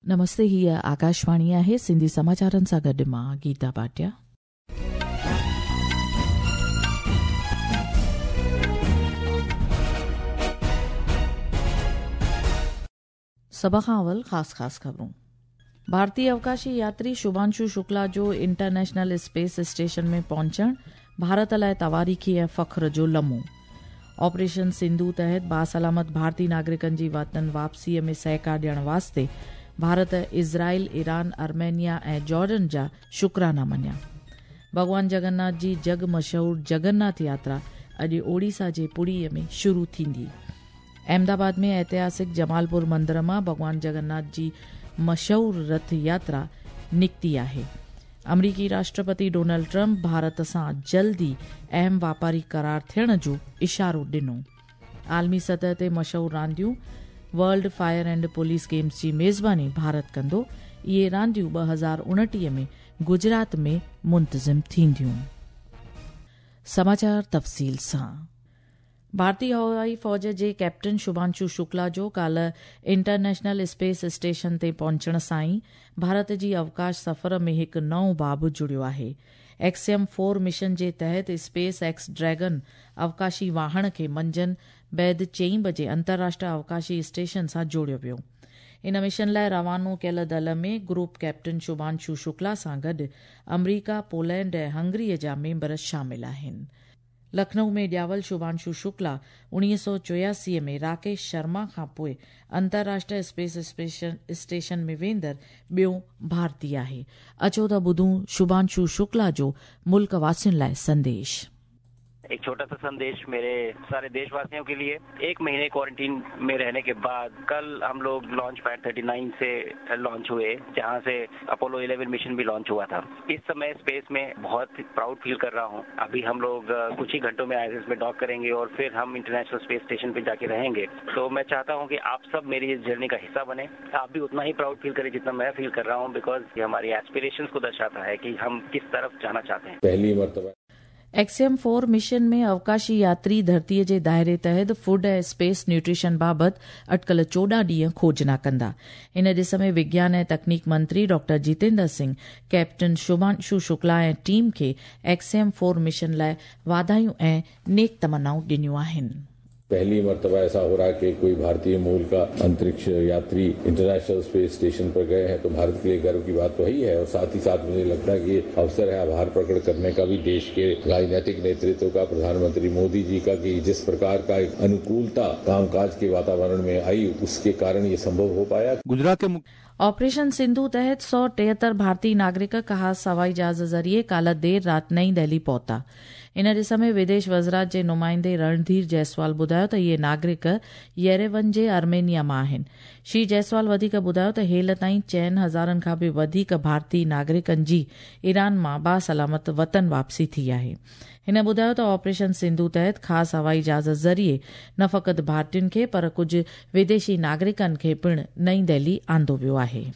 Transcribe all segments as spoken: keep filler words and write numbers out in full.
नमस्ते, हीअ आकाशवाणी आहे। सिंधी समाचारनि सां गॾु मां गीता भाटिया। सभ खां अवल ख़ासि ख़ासि ख़बरूं। भारतीय अवकाशी यात्री शुभांशु शुक्ला जो इंटरनेशनल स्पेस स्टेशन में पहुंचण भारत लाइ तवारीख़ी ऐं फ़ख्र जो लम्हो। ऑपरेशन सिंधु तहत बासलामत भारतीय नागरिकनि जी वतन वापसीअ में सहकार ॾियण वास्ते भारत इज़राइल, ईरान, आर्मेनिया ऐं जॉर्डन जा शुक्राना मञिया। भॻवान जगन्नाथ जी जग मशहूर जगन्नाथ यात्रा अॼु ओडिशा जे पुरीअ में शुरू थींदी। अहमदाबाद में ऐतिहासिक जमालपुर मंदिर मां भॻवान जगन्नाथ जी मशहूर रथ यात्रा निकिती आहे। अमरीकी राष्ट्रपति डोनाल्ड ट्रंप भारत सां जल्दी अहम वापारी करार थियण जो इशारो ॾिनो। आलमी सतह ते मशहूर रांदियूं world fire and police games जी मेज़बानी भारत कंदो। इहे रांदियूं ॿ हज़ार उणिटीह में गुजरात में मुंतज़िम थींदियूं। समाचार तफ़सील सां। भारतीय हवाई फ़ौज जे कैप्टन शुभांशु शुक्ला जो काल्ह इंटरनेशनल स्पेस स्टेशन ते पहुचण सां ई भारत जी अवकाश सफ़र में हिकु नओं बाब जुड़ियो आहे। एक्सियम फोर मिशन जे तहत स्पेस एक्स ड्रैगन अवकाशी वाहण खे मंझंदि बैदि चईं बजे अंतर्राष्ट्रीय अवकाशी स्टेशन सां जोड़ियो वियो। इन मिशन लाइ रवानो कयल दल में ग्रुप कैप्टन शुभांशु शुक्ला सां गॾु अमरीका, पोलैंड ऐं हंगरीअ जा मेंबर शामिल आहिनि। लखनऊ में ॼावल शुभांशु शुक्ला उणिवीह सौ चोयासी में राकेश शर्मा खां पोइ अंतर्राष्ट्रीय स्पेस स्टेशन में वेंदड़ ॿियो भारतीय आहे। अचो त ॿुधूं शुभांशु शुक्ला जो मुल्क वासियुनि लाइ संदेश। एक छोटा सा संदेश मेरे सारे देशवासियों के लिए। एक महीने क्वारंटीन में रहने के बाद कल हम लोग लॉन्च पैड उनतालीस से लॉन्च हुए, जहां से अपोलो ग्यारह मिशन भी लॉन्च हुआ था। इस समय स्पेस में बहुत प्राउड फील कर रहा हूं। अभी हम लोग कुछ ही घंटों में आईएसएस में डॉक करेंगे और फिर हम इंटरनेशनल स्पेस स्टेशन पे जाके रहेंगे। तो मैं चाहता हूँ कि आप सब मेरी इस जर्नी का हिस्सा बने। आप भी उतना ही प्राउड फील करें जितना मैं फील कर रहा हूँ, because ये हमारी एस्पिरेशन को दर्शाता है कि हम किस तरफ जाना चाहते हैं। पहली मरतबा एक्सियम फोर मिशन में अवकाशी यात्री धरतीअ जे दायरे तहत फूड ऐं स्पेस न्यूट्रिशन बाबति अटकल चोॾहं ॾींहं खोजना कंदा। इन ॾिस में विज्ञान ऐं तकनीक मंत्री डॉक्टर जितेंद्र सिंह कैप्टन शुभांशु शुक्ला ऐं टीम खे एक्सियम फोर मिशन लाइ वाधायूं ऐं नेक तमन्नाऊं ॾिनियूं आहिनि। पहली मर्तबा ऐसा हो रहा है कि कोई भारतीय मूल का अंतरिक्ष यात्री इंटरनेशनल स्पेस स्टेशन पर गए हैं, तो भारत के लिए गर्व की बात तो ही है। और साथ ही साथ मुझे लगता है कि ये अवसर है आभार प्रकट करने का भी देश के राजनीतिक नेतृत्व का, प्रधानमंत्री मोदी जी का, कि जिस प्रकार का एक अनुकूलता कामकाज के वातावरण में आई, उसके कारण ये संभव हो पाया। गुजरात के ऑपरेशन सिंधु तहत सौ टेहतरि भारतीय नागरिक ख़ासि हवाई जहाज़ ज़रिए काल्ह देरि राति नई दिल्ली पहुता। इन ॾिस में विदेश वज़ारत जे नुमाइंदे रणधीर जायसवाल ॿुधायो त इहे नागरिक येरेवन जे आर्मेनिया मां आहिनि। श्री जायसवाल वधीक ॿुधायो त हेल ताईं चइनि हज़ारनि खां बि वधीक भारतीय नागरिकनि जी ईरान मां बासलामत वतन वापसी थी आहे। हिन ॿुधायो त ऑपरेशन सिंधु तहत ख़ासि हवाई जहाज़ ज़रिए न फ़क़ति भारतीयुनि खे पर कुझु विदेशी नागरिकनि खे पिणु नई दिल्ली आंदो वियो आहे।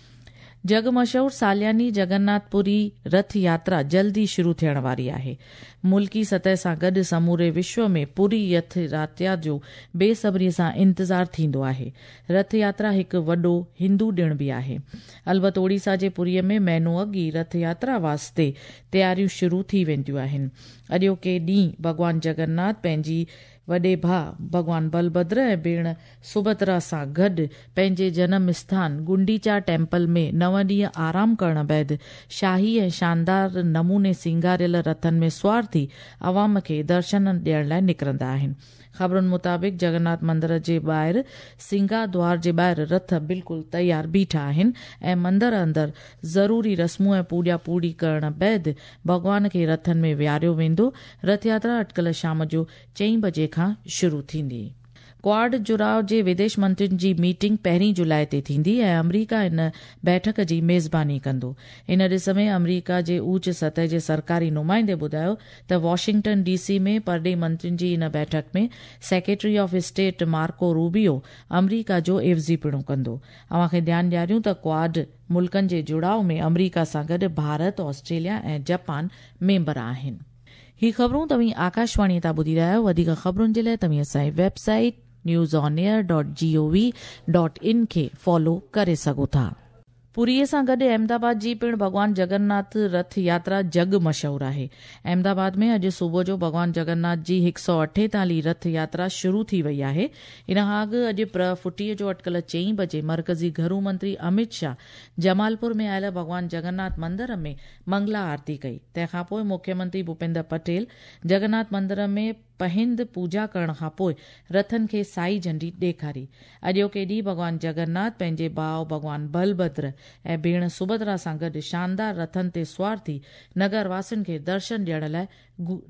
जग मशहूर सालियानी जगन्नाथपुरी रथ यात्रा जल्दी शुरू थियण वारी आहे। मुल्की सतह सां गॾु समूरे विश्व में पुरी रथ यात्रा जो बेसब्रीअ सां इंतज़ार थींदो आहे। रथ यात्रा हिकु वॾो हिंदू ॾिण बि आहे। अलबत ओडिशा जे पुरीअ में महीनो अॻु ई रथ यात्रा वास्ते तयारियूं शुरू थी वेंदियूं आहिनि। अॼोके ॾींहुं भॻवान जगन्नाथ पंहिंजी वॾे भाउ भॻवान बलभद्र ऐं भेण सुभद्रा सां गॾु पंहिंजे जनम स्थान गुंडीचा टेम्पल में नव ॾींहं आराम करण बाद शाही ऐं शानदार नमूने सिंगारियल रथनि में सुवार थी अवाम खे दर्शन ॾियण लाइ निकिरंदा आहिनि। ख़बरुनि मुताबिक़ जगन्नाथ मंदिर जे ॿाहिरि सिंगा द्वार जे ॿाहिरि रथ बिल्कुलु तयारु बीठा आहिनि ऐं मंदिर अंदरि ज़रूरी रस्मूं ऐं पूॼा पूरी करण बाद भॻवान खे रथनि में विहारियो वेंदो। रथ यात्रा अटकल शाम जो चईं बजे खां शुरू थींदी। क्वाड जुड़ाव जे विदेश मंत्रियुनि जी मीटिंग पहिरीं जुलाई ते थींदी ऐं अमरीका इन बैठक जी मेज़बानी कंदो। इन ॾिस में अमरीका जे ऊच सतह जे सरकारी नुमाइंदे ॿुधायो त वॉशिंगटन डीसी में परॾेही मंत्रियुनि जी इन बैठक में secretary of state Marco Rubio अमरीका जो एवज़ी पिणु कंदो। अव्हां खे ध्यानु ॾियारियूं त क्वाड मुल्कनि जे जुड़ाव में अमरीका सां गॾु भारत, ऑस्ट्रेलिया ऐं जापान मेंबर आहिनि। ही ख़बरूं तव्हीं आकाशवाणी तां ॿुधी रहिया आहियो। वधीक ख़बरुनि जे लाइ तव्हीं असांजी website news on air dot G O V dot in खे फॉलो करे सघो था। पुरीअ सां गॾु अहमदाबाद जी पिणु भॻवान जगन्नाथ रथ यात्रा जग मशहूर आहे। अहमदाबाद में अॼु सुबुह जो भॻवान जगन्नाथ जी हिकु सौ अठेतालीह रथ यात्रा शुरू थी वई आहे। इन खां अॻु अॼु प्र फुटीअ जो अटकल चई बजे मर्कज़ी घरू मंत्री अमित शाह जमालपुर में आयल भॻवान जगन्नाथ मंदिर में मंगला आरती कई। तंहिंखां पोइ मुख्यमंत्री भूपेंद्र पटेल जगन्नाथ मंदिर में पहिंद पूजा करण खां पोइ रथनि खे साई झंडी ॾेखारी। अॼोके ॾींहुं भॻवान जगन्नाथ पंहिंजे भाउ भॻवान बलभद्र ऐं भेण सुभद्रा सां गॾु शानदार रथनि ते सुवार थी नगर वासियुनि खे दर्शन ॾियण लाइ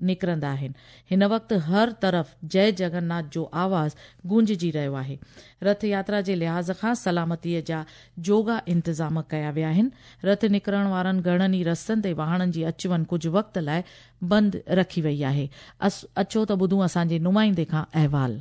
निकिरंदा आहिनि। हिन वक़्तु हर तरफ़ जय जगन्नाथ जो आवाज़ गूंजजी रहियो आहे। रथ यात्रा जे लिहाज़ खां सलामतीअ जा जोगा इंतज़ाम कया विया आहिनि। रथ निकिरण वारनि घणनि ई रस्तनि ते वाहणनि जी अच वञ कुझु वक़्त लाइ बंदि रखी वई आहे। अचो त ॿुधूं असांजे नुमाइंदे खां अहवाल।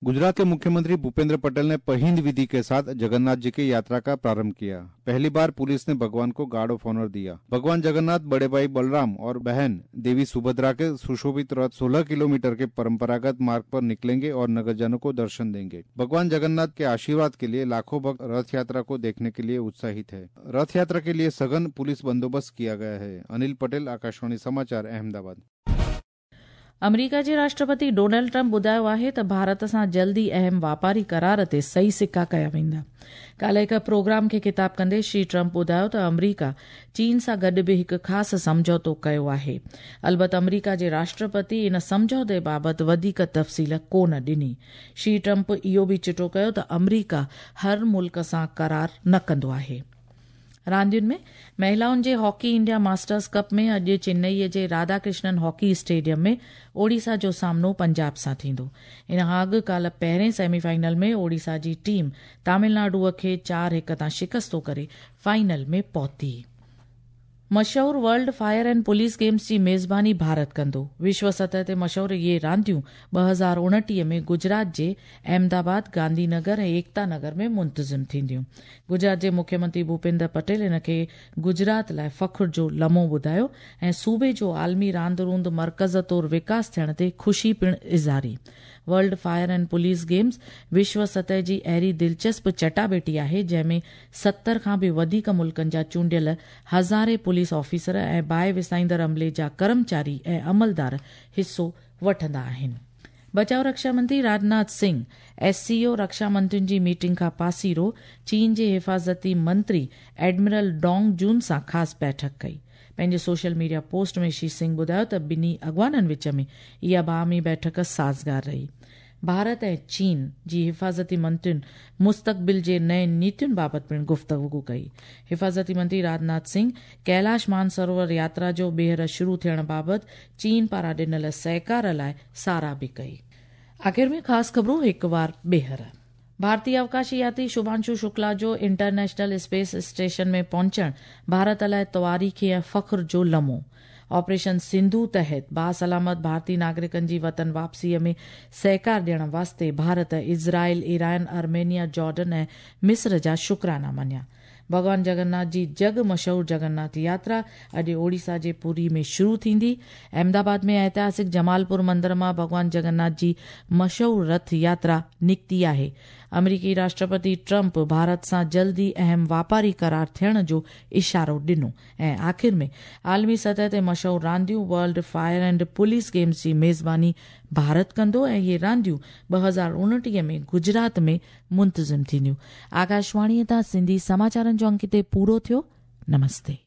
गुजरात के मुख्यमंत्री भूपेंद्र पटेल ने पहिंद विधि के साथ जगन्नाथ जी की यात्रा का प्रारंभ किया। पहली बार पुलिस ने भगवान को गार्ड ऑफ ऑनर दिया। भगवान जगन्नाथ, बड़े भाई बलराम और बहन देवी सुभद्रा के सुशोभित रथ सोलह किलोमीटर के परंपरागत मार्ग पर निकलेंगे और नगरजनों को दर्शन देंगे। भगवान जगन्नाथ के आशीर्वाद के लिए लाखों भक्त रथ यात्रा को देखने के लिए उत्साहित है। रथ यात्रा के लिए सघन पुलिस बंदोबस्त किया गया है। अनिल पटेल, आकाशवाणी समाचार, अहमदाबाद। अमेरिका जे राष्ट्रपति डोनाल्ड ट्रंप ॿुधायो आहे त भारत सां जल्दी अहम वापारी करार ते सही सिक्का कया वेंदा। काल्हि हिकु प्रोग्राम खे खिताब कंदे श्री ट्रंप ॿुधायो त अमेरिका चीन सां गॾु बि हिकु ख़ासि सम्झौतो कयो आहे। अलबत अमेरिका जे राष्ट्रपति इन सम्झौते बाबति वधीक तफ़सील कोन ॾिनी। श्री ट्रंप इहो बि चिटो कयो त अमेरिका हर मुल्क सां करार न कंदो आहे। रांदियुनि में महिलाउनि जे हॉकी इंडिया मास्टर्स कप में अॼु चेन्नईअ जे राधाकृष्णन हॉकी स्टेडियम में ओडिशा जो सामनो पंजाब सां थींदो। इन खां अॻु काल्हि पहिरें सेमीफाइनल में ओडिशा जी टीम तमिलनाडुअ खे चारि हिकु तां शिकस्तो करे फाइनल में पहुती। मशहूर world fire and police games जी मेज़बानी भारत कंदो। विश्व सतह ते मशहूर इहे रांदियूं ॿ हज़ार उणिटीह में गुजरात जे अहमदाबाद, गांधीनगर ऐं एकता नगर में मुंतज़िम थींदियूं। गुजरात जे मुख्यमंत्री भूपेंद्र पटेल हिन खे गुजरात लाइ फ़ख्र जो लम्हो ॿुधायो ऐं सूबे जो आलमी रांदि रूंद मर्कज़ तौर विकास थियण ते ख़ुशी पिणु इज़ारी। World fire and police games विश्व सतह जी अहिड़ी दिलचस्प चटाबेटी आहे जंहिंमें सत्तर खां बि वधीक मुल्कनि जा चूंडियल हज़ारे पुलिस ऑफिसर ऐं बाहि विसाईंदड़ अमले जा कर्मचारी ऐं अमलदार हिसो वठंदा आहिनि। बचाव रक्षा मंत्री राजनाथ सिंह एससीओ रक्षा मंत्रियुनि जी मीटिंग खां पासीरो चीन जे हिफाज़ती मंत्री एडमिरल डोंग जून सां ख़ासि बैठक कई। पंहिंजे सोशल मीडिया पोस्ट में श्री सिंह ॿुधायो त ॿिन्ही अॻवाननि विच में इहा बाहमी बैठक साज़गार रही। भारत ऐं चीन जी हिफाज़ती मंत्रियुनि मुस्तक़बिल जे नयुनि नीतियुनि बाबति पिणु गुफ़्तगू कई। हिफाज़ती मंत्री राजनाथ सिंह कैलाश मानसरोवर यात्रा जो ॿीहर शुरू थियण बाबति चीन पारां ॾिनल सहकार लाइ साराह बि कई। आख़िर में ख़ासि ख़बरूं हिकु वार ॿीहर। भारतीय अवकाशी यात्री शुभांशु शुक्ला जो इंटरनेशनल स्पेस स्टेशन में पहुंचण भारत लाइ तवारीख़ी ऐं फ़ख्र जो लम्हो। ऑपरेशन सिंधु तहत बासलामत भारतीय नागरिकनि जी वतन वापसीअ में सहकार ॾियण वास्ते Bharat Israel, Iran, Armenia, Jordan ऐं मिस्र जा शुक्राना मञिया। भॻवान जगन्नाथ जी जग मशहूर जगन्नाथ यात्रा अॼु ओडिशा जे पुरी में शुरू थींदी। अहमदाबाद में ऐतिहासिक जमालपुर मंदिर मां भॻवान जगन्नाथ जी मशहूर रथ यात्रा निकिती आहे। अमेरिकी राष्ट्रपति ट्रंप भारत सां जल्दी अहम वापारी करार थियण जो इशारो ॾिनो। ऐं आख़िर में आलमी सतह ते मशहूर रांदियूं world fire and police games जी मेज़बानी भारत कंदो ऐं इहे रांदियूं ॿ हज़ार उणिटीह में गुजरात में मुंतज़िम थींदियूं। आकाशवाणीअ तां सिंधी समाचारनि जो अंक हिते पूरो थियो। नमस्ते।